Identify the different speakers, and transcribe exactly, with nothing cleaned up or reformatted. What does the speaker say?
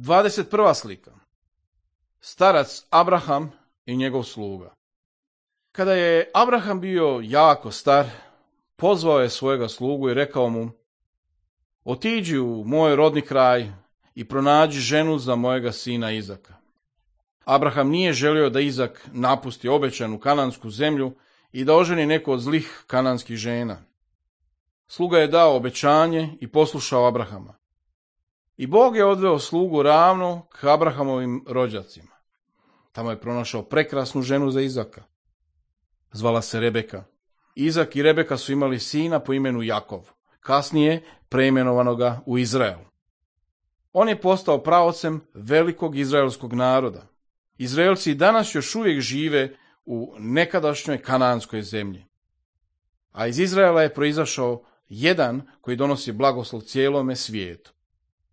Speaker 1: dvadeset prva slika. Starac Abraham i njegov sluga. Kada je Abraham bio jako star, pozvao je svojega slugu i rekao mu: otiđi u moj rodni kraj i pronađi ženu za mojega sina Izaka. Abraham nije želio da Izak napusti obećanu kanansku zemlju i da oženi neku od zlih kananskih žena. Sluga je dao obećanje i poslušao Abrahama. I Bog je odveo slugu ravno k Abrahamovim rođacima. Tamo je pronašao prekrasnu ženu za Izaka. Zvala se Rebeka. Izak i Rebeka su imali sina po imenu Jakov, kasnije preimenovanoga u Izrael. On je postao praocem velikog izraelskog naroda. Izraelci danas još uvijek žive u nekadašnjoj kananskoj zemlji. A iz Izraela je proizašao jedan koji donosi blagoslov cijelome svijetu.